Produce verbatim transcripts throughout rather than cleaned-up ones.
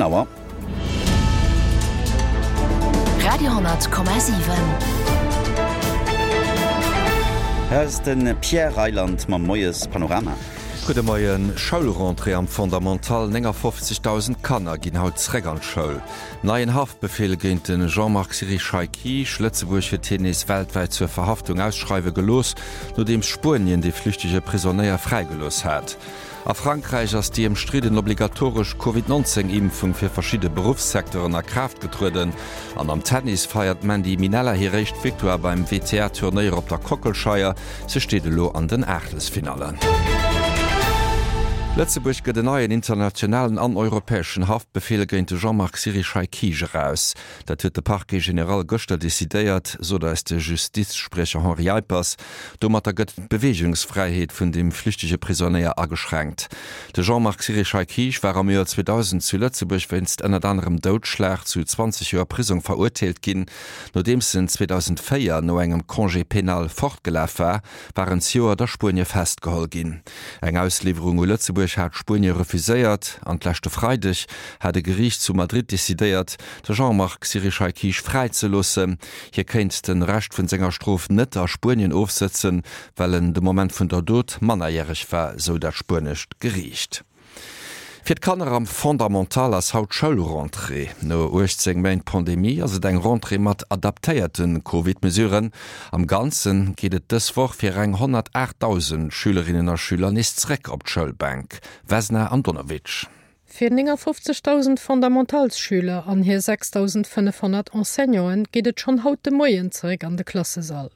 Auer. Radio hundert Komma siwen. Hei ass de Pierre Reyland mam Moiespanorama. Gudde Moien. Schoulrentrée am Fondamental, néngafofzegdausend Kanner ginn haut zréck an d'Schoul. Neien Haftbefeel géint de Jean-Marc Sirichai-Kisch, Lëtzebuerg huet hien nees weltwäit zur Verhaftung ausschreiwe gelooss, nodeems Spuenien dee flüchtege Prisonéier fräigelooss hat. A Frankräich ass déi ëmstridden obligatoresch Covid nonzéng Impfung fir verschidde Beruffssecteuren a Kraaft getrueden. An am Tennis feiert d'Mandy Minella hir éischt Victoire beim W T A Turnéier op der Kockelscheier. Se steet elo an den Aachtelsfinallen. Lëtzebuerg gëtt en neien internationalen an europäeschen Haftbefeel géint de Jean-Marc Sirichai-Kisch eraus. Dat huet de Parquet général gëschter decidéiert, sot eis de Justizspriecher Henri Eippers. Domatter gëtt d'Beweegungsfräiheet vun dem flüchtege Prisonéier ageschränkt. De Jean-Marc Sirichai-Kisch war am Joer zweedausend zu Lëtzebuerg wéinst ënnert anerem Doudschlag zu zwanzeg Joer Prisong verurteelt ginn. Nodeems en zweedausendvéier no engem Congé pénal fortgelaf war, war en zejoert a Spuenie festgeholl ginn. Eng Ausliwwerung u Lëtzebuerg hat Spuenie refuséiert an d'leschte Freideg hat e Geriicht zu Madrid decidéiert, de Jean-Marc Sirichai-Kisch fräizeloossen. Hie kéint de Rescht vun senger Strof net a Spuenien ofsëtzen, well en de Moment vun der Dot mannerjäreg war, sou dat spuenescht Geriicht. Fir d'Kanner am Fondamental ass haut Schoulrentrée. No uechtzéng Méint Pandemie ass et eng Rentrée mat adaptéierte Covid-Mesuren. Am Ganze geet et dës Woch fir eng honnertaachtdausend Schülerinnen a Schüler nees zréck op d'Schoulbänk. Vesna Andonovic. Fir néngafofzegdausend Fondamentalsschüler an hir sechsdausendfënnefhonnert Enseignanten geet et schonn haut de Moien zeréck an de Klassesall.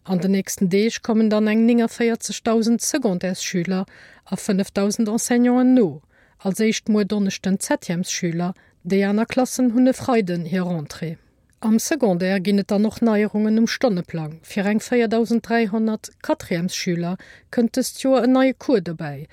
An den nächsten Deeg kommen dann eng néngavéierzegdausend Secondaires-Schüler a fënnefdausend Enseignanten no. Als éischt muer Donneschden d'Septièmesschüler, déi aner Klassen hunn e Freiden hir Rentrée. Am Secondaire ginn et dann och Neierungen um Stonneplang. Fir eng véierdausend dräihonnert Quatrièmesschüler kënnt dëst Joer en neie Cours dobäi.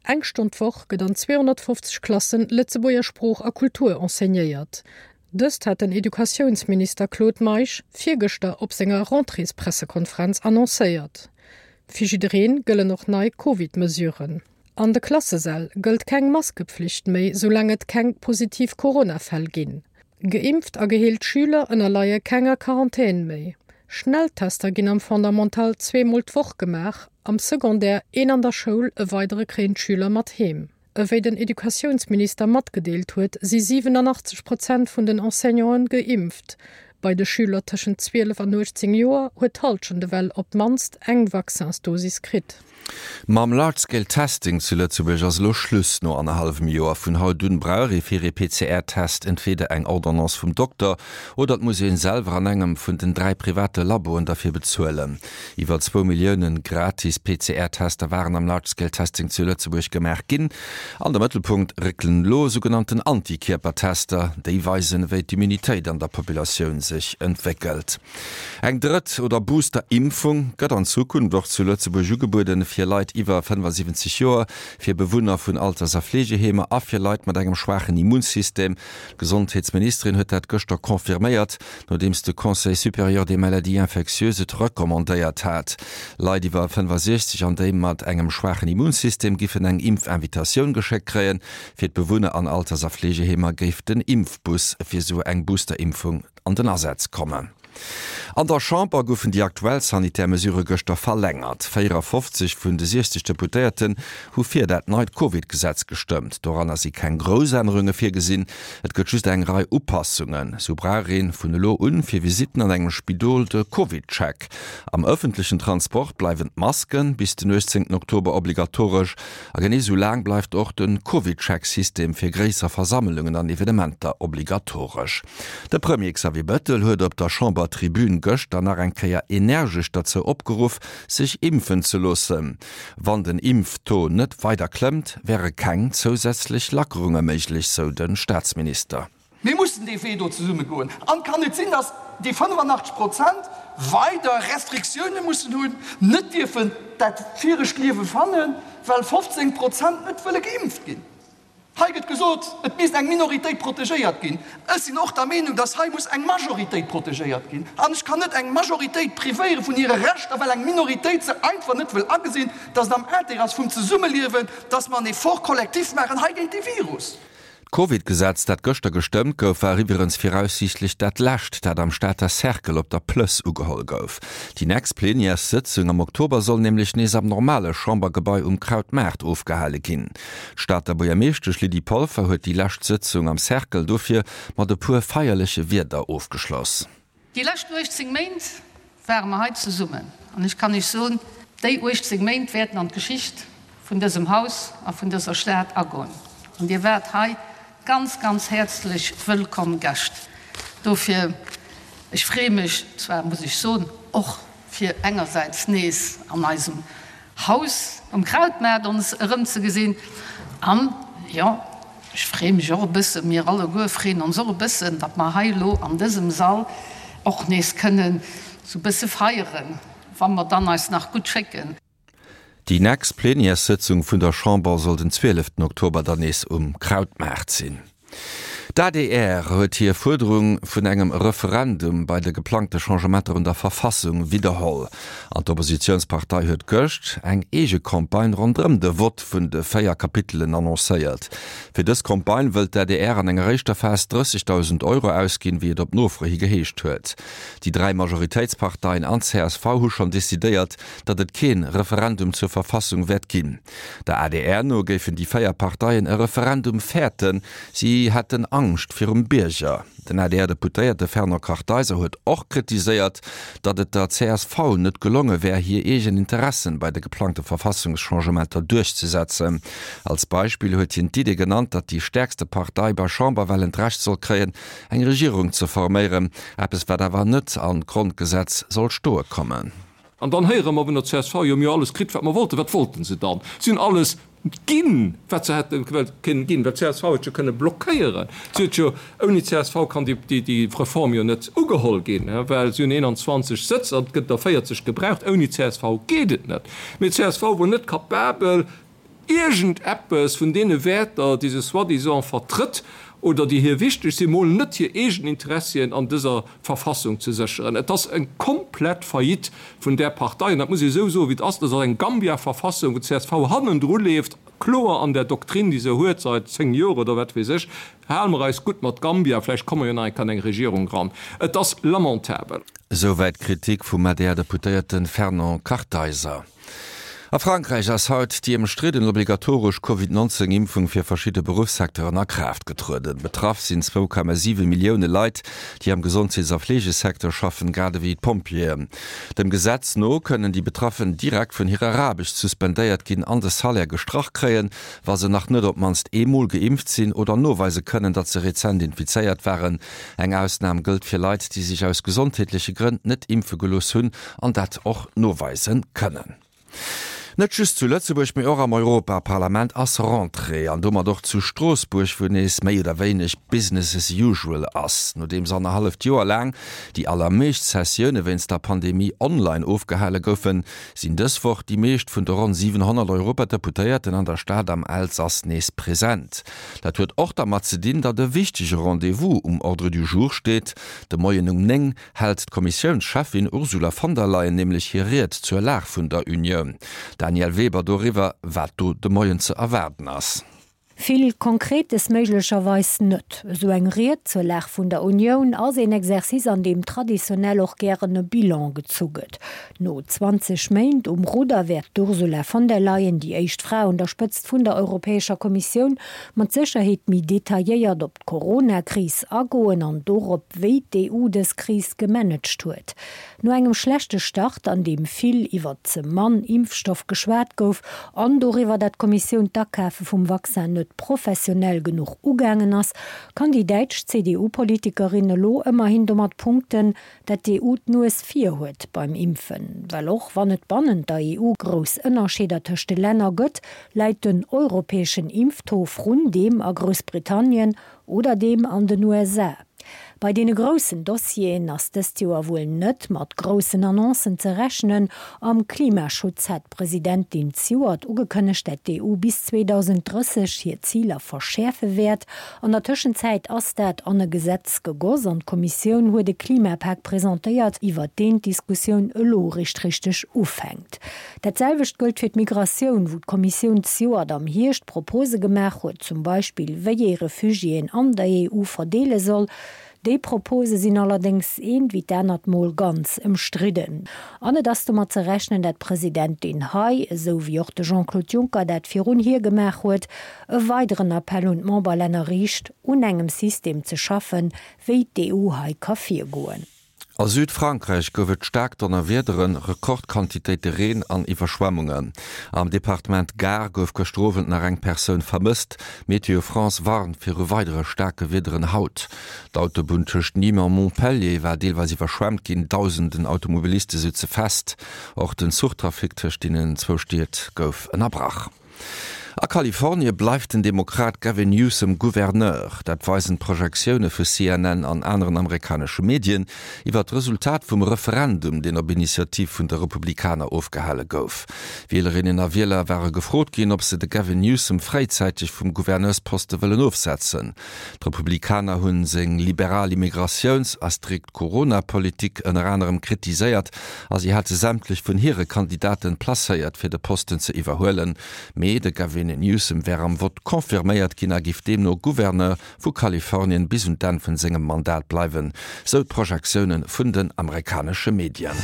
Eng Stonn d'Woch gëtt an zweehonnertfofzeg Klassen Lëtzebuerger Sprooch a Kultur enseignéiert. Dëst hat den Educatiounsminister Claude Meisch virgëschter op senger Rentréespressekonferenz annoncéiert. Fir jiddereen gëllen och nei Covid-Mesuren. An de Klassesäll gëllt keng Maskepflicht méi, soulaang et keng positiv Corona-Fäll ginn. Geimpft a geheelt Schüler ënnerleie kenger Quarantän méi. Schnelltester ginn am Fondamental zweemol d'Woch gemaach, am Secondaire een an der Schoul, e weidere kréien d'Schüler mat heem. Ewéi den Educatiounsminister matgedeelt huet, si siwenanachtzeg Prozent vun den Enseignanten geimpft. Bei de Schüler tëschent zwielef an uechtzéng Joer huet d'Hallschent ewell op d'mannst eng Vaccinsdosis kritt. Mam Large-Scale Testing zu Lëtzebuerg ass elo Schluss no annerhallwem Joer. Vun haut un brauch ee fir ee P C R-Test entweeder eng Ordonnance vum Dokter oder et muss ee selwer an engem vun den dräi private Laboen derfir bezuelen. Iwwer zwou Millioune gratis P C R-Tester waren am Large-Scale Testing zu Lëtzebuerg gemaach ginn. An de Mëttelpunkt réckelen elo sougenannten Antikierpertester, déi weisen, wéi d'Immunitéit an der Populatioun sech entwéckelt. Eng drëtt oder Booster-Impfung gëtt an Zukunft och zu Lëtzebuerg ugebueden, fir Leit iwwer fënnefasiwwenzeg Joer, fir Bewunner vun Alters a Fleegeheemer a fir Leit mat engem schwaachen Immunsystem. D'Gesondheetsministerin huet dat gëschter confirméiert, nodeems de Conseil supérieur des maladies infectieuses et recommandéiert hat. Leit iwwer fënnefasiechzeg an déi mat engem schwaachen Immunsystem giffen eng Impfinvitatioun geschéckt kréien. Fir d'Bewunner an Alters a Fleegeheemer géif den Impfbus fir sou eng Boosterimpfung an den Asaz kommen. An der Chamber goufen déi aktuell sanitär Mesurë gëschter verlängert. véierafofzeg vun de siechzeg Deputéierten hu fir dat neit Covid-Gesetz gestëmmt. Doranner si keng grouss Ännerunge virgesinn, et gëtt just eng Rei Upassungen. Sou brauch ee vun elo un fir Visitten an engem Spidol de Covid-Check. Am ëffentlechen Transport bleiwen d'Masken bis den uechtzéngten Oktober obligatoresch a genee sou laang bleift och de Covid-Check-System fir gréisser Versammlungen an Evenementer obligatoresch. De Premier Xavier Bettel huet op der Chambertribün gëschter nach eng Kéier energesch derzou opgeruff, sech impfen ze loossen. Wann den Impftaux net weider klëmmt, wäre keng zousätzlech Lackerunge méiglech, sou de Staatsminister. Mir mussen dee Wee do zesumme goen. An et kann net sinn, datt déi fënnefanachteg Prozent weider Restriktioune mussen hunn, net dierfen dat viregt Liewe fannen, well fofzéng Prozent net wëlle geimpft ginn. Hei gëtt gesot, et misst eng Minoritéit protegéiert ginn. Ech sinn och der Meenung, datt hei muss eng Majoritéit protegéiert ginn. An ech kann net eng Majoritéit privéiere vun hire Rechter, well eng Minoritéit se einfach net wëll agesinn, datt et am Intérêt ass vum Zesummeliewen, datt mer en Effort collectif maachen hei géint dee Virus. D'Covid-Gesetz, dat gëschter gestëmmt gouf, war iwwerens viraussiichtlech dat lescht, dat am Stater Cercle op der Plëss ugeholl gouf. Déi nächst Plenièressëtzung am Oktober soll nämlech nees am normale Chambergebai um Krautmaart ofgehale ginn. D'Stater Buergermeeschtesch Lydie Polfer huet déi lescht Sëtzung am Cercle dofir mat e puer feierleche Wierder ofgeschloss. Déi lescht uechtzéng Méint ware mer hei zesummen an ech kann Iech soen, déi uechtzéng Méint wäerten an d'Geschicht vun dësem Haus a vun dëser Stad agoen. An Dir waart hei ganz, ganz häerzlech wëllkomm Gäscht. Dofir, ech freeë mech zwar, muss ech soen, och fir engersäits nees an eisem Haus um Krautmaart ons erëmzegesinn an, jo, ech freeë mech och e bëssen, mir alleguer freeën ons och e bëssen, datt mer hei elo an dësem Sall och nees kënnen esou e bësse feieren, wa mer dann eis nach gutt schécken. Déi nächst Plenièressëtzung vun der Chamber soll den zwieleften Oktober dann nees um Krautmaart sinn. D'adr huet hir Fuerderung vun engem Referendum bei de geplangte Changementer un der Verfassung widderholl. An d'Oppositiounspartei huet gëscht eng eege Campagne ronderëm de Vott vun de véier Kapitelen annoncéiert. Fir dës Campagne wëllt d'adr an enger éischter Phas drëssegdausend Euro ausginn, wéi et op Nofro hi geheescht huet. Déi dräi Majoritéitsparteien an csv hu schonn decidéiert, datt et kee Referendum zur Verfassung wäert ginn. Der adr no géifen déi véier Parteien e Referendum fäerten, si hätten Angscht virum Bierger. Den A D R-Deputéierte Fernand Kartheiser huet och kritiséiert, datt et der C S V net gelonge wär, hir eegen Interessen bei de geplangte Verfassungschangementer duerchzesetzen. Als Beispill huet hien d'Idee genannt, datt déi stäerkste Partei bei Chamberwahlen d'Recht soll kréien, eng Regierung ze forméieren, eppes wat awer net an d'Grondgesetz soll stoe kommen. An dann héiere mer vun der C S V, jo, mir hu alles kritt, wat mer wollten. Wat wollten se dann? Si hunn alles ginn, wat se hätte kënnen ginn, well d'C S V huet jo kënne blockéieren. Si huet jo, ouni C S V kann déi, déi, déi Reform jo net ugeholl ginn, well si hunn eenanzwanzeg Sëtz an et gëtt der véierzeg gebraucht. Ouni C S V geet et net. Mee d'C S V wor net capabel, iergendeppes vun deene Wäerter, déi se soi-disant vertrëtt oder déi hir wichteg sinn, mol net hir eegen Interessien an dëser Verfassung ze sécheren. Et ass eng komplett Faillite vun där Partei, an dat muss ee esou soen, wéi et ass. Dat ass eng Gambia-Verfassung, wou d'C S V hannendru leeft, kloer an der Doktrin, déi se huet säit zéng Joer oder wat weess ech, Hale mer eis gutt mat Gambia, vläicht komme mer jo nach eng Kéier an eng Regierung eran. Et ass lamentabel. Esouwäit d'Kritik vum A D R-Deputéierte Fernand Kartheiser. A Frankräich ass haut déi ëmstridden obligatoresch Covid neunzéng Impfung fir verschidde Beruffssecteuren a Kraaft getrueden. Betraff sinn zwou Komma siwe Millioune Leit, déi am Gesondheets a Fleegesecteur schaffen, grad ewéi d'Pompjeeën. Dem Gesetz no kënnen déi Betraffen direkt vun hirer Aarbecht suspendéiert ginn an de Salaire gestrach kréien, wa se nach net op d'mannst eemol geimpft sinn oder noweise kënnen, datt se rezent infizéiert waren. Eng Ausnam gëllt fir Leit, déi sech aus gesondheetleche Grënn net impfe gelooss hunn an dat och noweise kënnen. Net just zu Lëtzebuerg, mee och am Europaparlament ass Rentrée an domat och zu Stroossbuerg, wou nees méi oder wéineg Business as usual ass. Nodeems annerhalleft Joer laang déi allermeescht Sessioune wéinst der Pandemie online ofgehale goufen, sinn dës Woch déi meescht vun de ronn siwenhonnert Europadeputéierten an der Stad am Elsass nees present. Dat huet och dermat ze dinn, datt e wichtege Rendez-vous um Ordre du jour steet. De Moien um néng hält d'Kommissiounscheffin Ursula von der Leyen nämlech hir Ried zur Lag vun der Unioun. Danièle Weber doriwwer, wat do de Moien ze erwaarden ass. Vill Konkretes méiglecherweis net. Esou eng Ried zur Lag vun der Unioun ass een Exercice, an deem traditionell och gären e Bilan gezu gëtt. No zwanzeg Méint um Rudder wäert d'Ursula von der Leyen, déi éischt Fra un der Spëtzt vun der Europäescher Kommissioun, mat Sécherheet méi detailléiert op d'Corona-Kris agoen an dorop, wéi d'E U dës Kris gemanagt huet. No engem schlechte Start, an deem vill iwwer ze mann Impfstoff geschwat gouf an doriwwer, datt d'Kommissioun d'Akafe vum Vaccin net professionell genuch ugaangen ass, kann déi däitsch C D U-Politikerin elo ëmmerhin domat punkten, datt d'E U d'Nues vir huet beim Impfen. Well och wann et bannent der E U grouss Ënnerscheeder tëscht de Länner gëtt, läit den europäeschen Impftaux vrun deem a Groussbritannien oder deem an den U S A. Bei deene groussen Dossieren ass dëst Joer wuel net mat groussen Annoncen ze rechnen. Am Klimaschutz hat d'Presidentin zejoert ugekënnegt, dat d'EU bis zweedausenddrësseg hir Ziler verschäerfe wäert. An der Tëschenzäit ass dat an e Gesetz gegoss an d'Kommissioun huet e Klimapak presentéiert, iwwert deen d'Diskussioun elo eréischt richteg ufänkt. Dat selwecht gëllt fir d'Migratioun, wou d'Kommissioun zejoert am Hierscht Propose gemaach huet, zum Beispill wéi ee Refugiéen an der EU verdeele soll. Déi Propose sinn allerdéngs eent wéi d'anert Mol ganz ëmstridden. An et ass domat ze rechnen, dat d'Presidentin hei, esou wéi och de Jean-Claude Juncker dat virun hir gemaach huet, e weideren Appell un d'Memberlänner riicht, un engem System ze schaffen, wéi d'EU hei ka virgoen. A Südfrankräich gouf et staark Donnerwiederen, Rekordquantitéite Reen an Iwwerschwemmungen. Am Departement Gard gouf gëschter Owend nach eng Persoun vermësst. Météo France warnt viru weidere staarke Wiederen haut. D'Autobunn tëscht Nîmes a Montpellier war deelweis iwwerschwemmt ginn, dausenden Automobiliste sutze fest. Och den Zuchtrafic tëscht deenen zwou Stied gouf ënnerbrach. A Kalifornie bleift den Demokrat Gavin Newsom Gouverneur. Dat weisen d'Projektioune vu C N N an aneren amerikanesche Medien iwwer d'Resultat vum Referendum, deen op Initiativ vun de Republikaner ofgehale gouf. Wielerinnen a Wieler ware gefrot ginn, ob se de Gavin Newsom fréizäiteg vum Gouverneursposte wëllen ofsetzen. D'Republikaner hunn seng liberal Immigratiouns a strikt Corona-Politik ënner anerem kritiséiert a si hate sämtlech vun hire Kandidaten placéiert, fir de Posten ze iwwerhuelen. Mee de Gavin Newsom wär am Vott confirméiert ginn a giff deemno Gouverneur vu Kalifornien bis un d'Enn vun sengem Mandat bleiwen, sou d'Projektioune vun den amerikanesche Medien.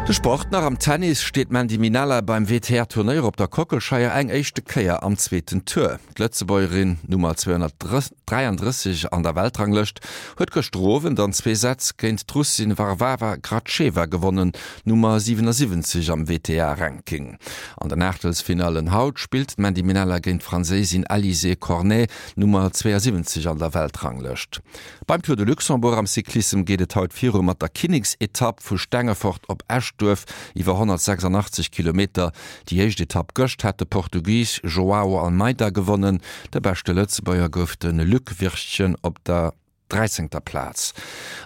De Sport nach, Am Tennis steet d'Mandy Minella beim W T A-Turnéier op der Kockelscheier eng éischte Kéier am zweeten Tour. D'Lëtzebuergerin, Nummer zweehonnertdräiandrësseg an der Weltranglëscht, huet gëschter Owend an zwee Sätz géint d'Russin Varvara Gracheva gewonnen, Nummer siwenasiwwenzeg am W T A-Ranking. An den Aachtelsfinallen haut spillt d'Mandy Minella géint d'Franséisin Alizé Cornet, Nummer zweeasiwwenzeg an der Weltranglëscht. Beim Tour de Luxembourg am Cyclissem geet et haut viru mat der Kinneksetapp vu Stengefort op Eschduerf iwwer honnertsechsandachtzeg Kilometer. Déi éischt Etapp gëscht hat de Portugis Joao Almeida gewonnen. De beschte Lëtzebuerger gouf de Luc Wirtgen op der dräizéngter Plaz.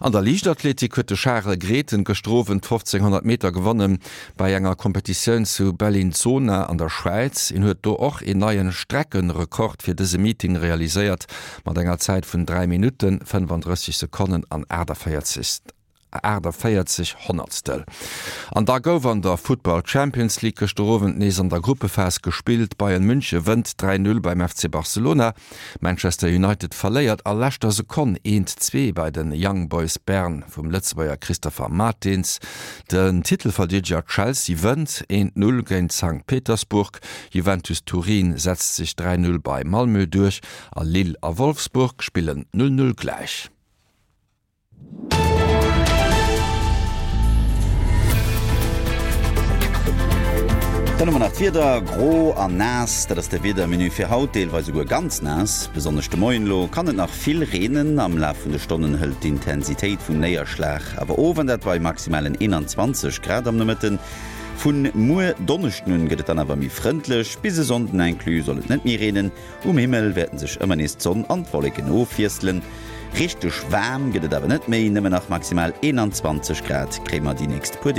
An der Liichtathletik huet de Charel Grethen gëschter Owend d'fofzénghonnert Meter gewonnen bei enger Kompetitioun zu Bellinzona an der Schwäiz. Hien huet do och een neien Streckenrekord fir dëse Meeting realiséiert mat enger Zäit vun dräi Minutten, fënnefandrësseg Sekonnen an aachtavéierzeg Honnertstel. An da gouf an der Futtball Champions League gëschter Owend nees an der Gruppephas gespillt. Bayern München wënnt dräi Null beim F C Barcelona. Manchester United verléiert a leschter Sekonn eent zwee bei den Young Boys Bern vum Lëtzebuerger Christopher Martins. Den Titelverdeedeger Chelsea wënnt eent Null géint Sankt Petersburg. Juventus Turin setzt sech dräi Null bei Malmö duerch a Lille a Wolfsburg spillen null null gläich. Dann hu mer nach d'Wieder, Gro an naass, dat ass de Wiedermenu fir haut, deelweis esouguer ganz naass. Besonnesch de Moien elo kann et nach vill reenen. Am Laf vun de Stonnen hëlt d'Intensitéit vum Néierschlag awer of, an dat bei maximalen eenanzwanzeg Grad am Nomëtten. Vun muer Donneschden un gëtt et dann awer méi frëndlech, bis e Sonnden inclus soll et net méi reenen. Um Himmel wäerten sech ëmmer nees d'Sonn an d'Wolleken ofwiesselen. Richteg waarm gëtt et awer net méi, nëmmen nach maximal eenanzwanzeg Grad kréie mer déi nächst puer Deeg.